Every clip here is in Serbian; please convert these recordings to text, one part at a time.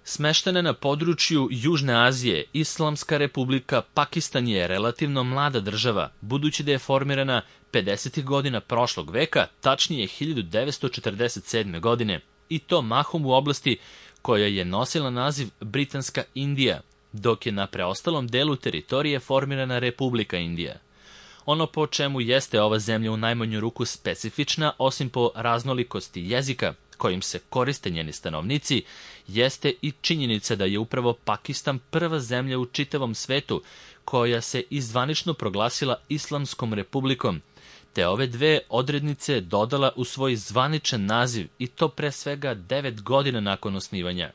Smeštena na području Južne Azije, Islamska republika Pakistan je relativno mlada država, budući da je formirana 50. godina prošlog veka, tačnije 1947. godine, i to mahom u oblasti koja je nosila naziv Britanska Indija, dok je na preostalom delu teritorije formirana Republika Indija. Ono po čemu jeste ova zemlja u najmanju ruku specifična, osim po raznolikosti jezika kojim se koriste njeni stanovnici, jeste i činjenica da je upravo Pakistan prva zemlja u čitavom svetu koja se izvanično proglasila Islamskom republikom, te ove dve odrednice dodala u svoj zvaničan naziv, i to pre svega 9 godina nakon osnivanja.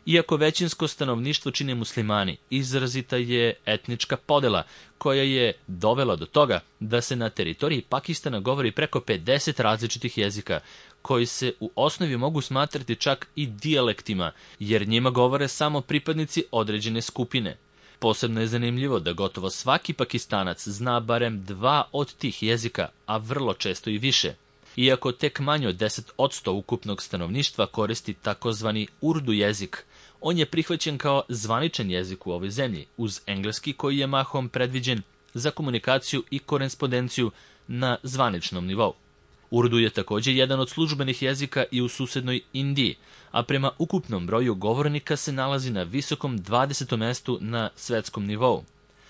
Iako većinsko stanovništvo čine muslimani, izrazita je etnička podela koja je dovela do toga da se na teritoriji Pakistana govori preko 50 različitih jezika, koji se u osnovi mogu smatrati čak i dijalektima, jer njima govore samo pripadnici određene skupine. Posebno je zanimljivo da gotovo svaki Pakistanac zna barem 2 od tih jezika, a vrlo često i više. Iako tek manje od 10% ukupnog stanovništva koristi takozvani urdu jezik, on je prihvaćen kao zvaničan jezik u ovoj zemlji, uz engleski koji je mahom predviđen za komunikaciju i korespondenciju na zvaničnom nivou. Urdu je također jedan od službenih jezika i u susednoj Indiji, a prema ukupnom broju govornika se nalazi na visokom 20. mestu na svetskom nivou.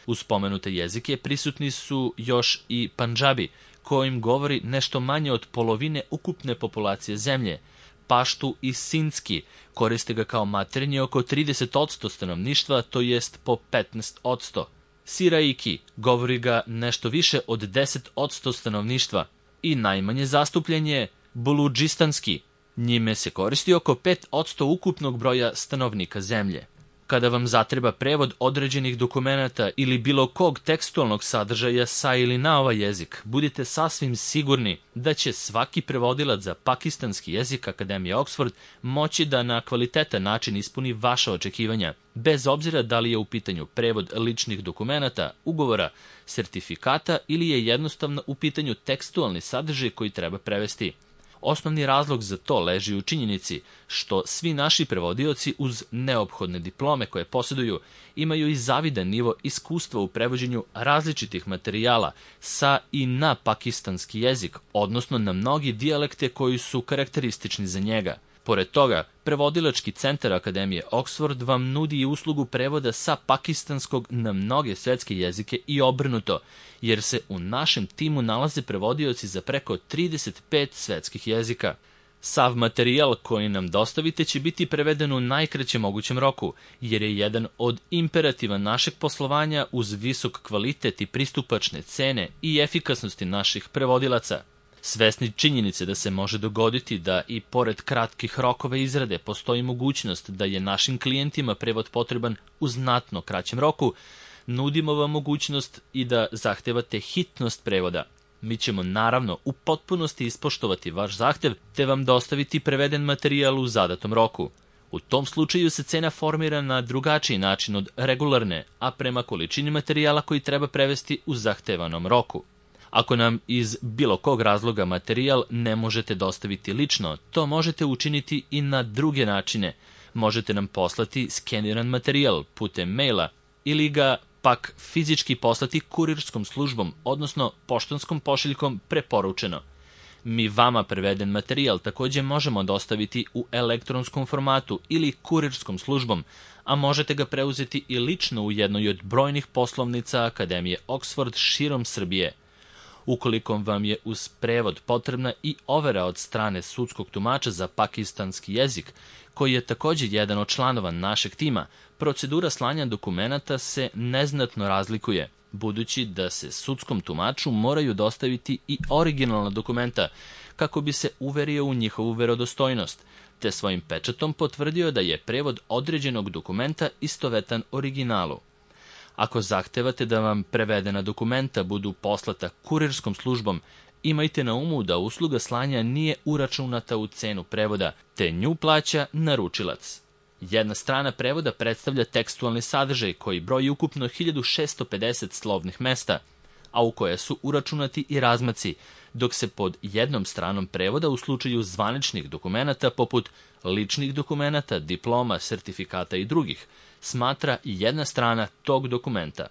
Uz spomenute jezike prisutni su još i Pandžabi, kojim govori nešto manje od polovine ukupne populacije zemlje. Paštu i Sindski koriste ga kao maternje oko 30% stanovništva, to jest po 15%. Siraiki govori ga nešto više od 10% stanovništva i najmanje zastupljen je Buludžistanski. Njime se koristi oko 5% ukupnog broja stanovnika zemlje. Kada vam zatreba prevod određenih dokumenata ili bilo kog tekstualnog sadržaja sa ili na ovaj jezik, budite sasvim sigurni da će svaki prevodilac za pakistanski jezik Akademije Oxford moći da na kvalitetan način ispuni vaša očekivanja, bez obzira da li je u pitanju prevod ličnih dokumenata, ugovora, sertifikata ili je jednostavno u pitanju tekstualni sadržaj koji treba prevesti. Osnovni razlog za to leži u činjenici što svi naši prevodioci uz neophodne diplome koje posjeduju imaju i zavidan nivo iskustva u prevođenju različitih materijala sa i na pakistanski jezik, odnosno na mnogi dijalekte koji su karakteristični za njega. Pored toga, prevodilački centar Akademije Oxford vam nudi i uslugu prevoda sa pakistanskog na mnoge svetske jezike i obrnuto, jer se u našem timu nalaze prevodioci za preko 35 svetskih jezika. Sav materijal koji nam dostavite će biti preveden u najkraćem mogućem roku, jer je jedan od imperativa našeg poslovanja uz visok kvalitet i pristupačne cene i efikasnosti naših prevodilaca. Svesni činjenice da se može dogoditi da i pored kratkih rokova izrade postoji mogućnost da je našim klijentima prevod potreban u znatno kraćem roku, nudimo vam mogućnost i da zahtevate hitnost prevoda. Mi ćemo naravno u potpunosti ispoštovati vaš zahtev te vam dostaviti preveden materijal u zadatom roku. U tom slučaju se cena formira na drugačiji način od regularne, a prema količini materijala koji treba prevesti u zahtevanom roku. Ako nam iz bilo kog razloga materijal ne možete dostaviti lično, to možete učiniti i na druge načine. Možete nam poslati skeniran materijal putem maila ili ga pak fizički poslati kurirskom službom, odnosno poštanskom pošiljkom preporučeno. Mi vama preveden materijal također možemo dostaviti u elektronskom formatu ili kurirskom službom, a možete ga preuzeti i lično u jednoj od brojnih poslovnica Akademije Oxford širom Srbije. Ukoliko vam je uz prevod potrebna i overa od strane sudskog tumača za pakistanski jezik, koji je također jedan od članova našeg tima, procedura slanja dokumenata se neznatno razlikuje, budući da se sudskom tumaču moraju dostaviti i originalna dokumenta kako bi se uverio u njihovu verodostojnost, te svojim pečatom potvrdio da je prevod određenog dokumenta istovetan originalu. Ako zahtevate da vam prevedena dokumenta budu poslata kurirskom službom, imajte na umu da usluga slanja nije uračunata u cenu prevoda, te nju plaća naručilac. Jedna strana prevoda predstavlja tekstualni sadržaj koji broji ukupno 1650 slovnih mesta, a u koje su uračunati i razmaci, dok se pod jednom stranom prevoda u slučaju zvaničnih dokumenata poput ličnih dokumenata, diploma, sertifikata i drugih smatra jedna strana tog dokumenta.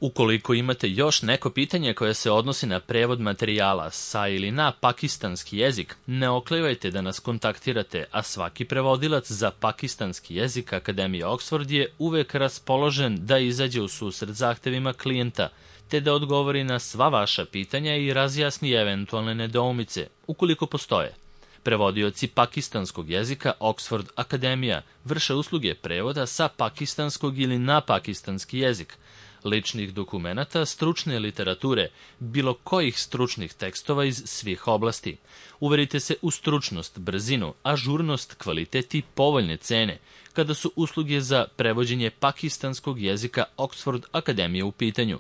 Ukoliko imate još neko pitanje koje se odnosi na prevod materijala sa ili na pakistanski jezik, ne oklevajte da nas kontaktirate, a svaki prevodilac za pakistanski jezik Akademije Oxford je uvek raspoložen da izađe u susret zahtevima klijenta, te da odgovori na sva vaša pitanja i razjasni eventualne nedoumice, ukoliko postoje. Prevodioci pakistanskog jezika Oxford Akademija vrše usluge prevoda sa pakistanskog ili na pakistanski jezik, ličnih dokumenata, stručne literature, bilo kojih stručnih tekstova iz svih oblasti. Uverite se u stručnost, brzinu, ažurnost, kvalitet i povoljne cene, kada su usluge za prevođenje pakistanskog jezika Oxford Akademije u pitanju.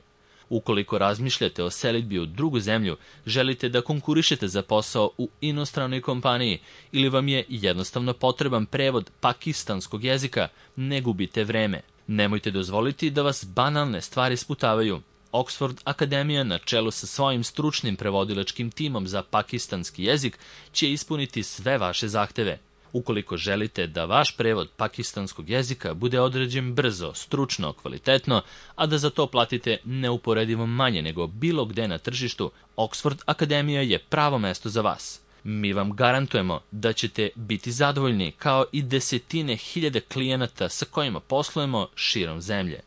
Ukoliko razmišljate o selidbi u drugu zemlju, želite da konkurišete za posao u inostranoj kompaniji ili vam je jednostavno potreban prevod pakistanskog jezika, ne gubite vreme. Nemojte dozvoliti da vas banalne stvari sputavaju. Oxford Akademija na čelu sa svojim stručnim prevodilačkim timom za pakistanski jezik će ispuniti sve vaše zahteve. Ukoliko želite da vaš prevod pakistanskog jezika bude određen brzo, stručno, kvalitetno, a da za to platite neuporedivo manje nego bilo gde na tržištu, Oxford Akademija je pravo mesto za vas. Mi vam garantujemo da ćete biti zadovoljni kao i desetine hiljade klijenata sa kojima poslujemo širom zemlje.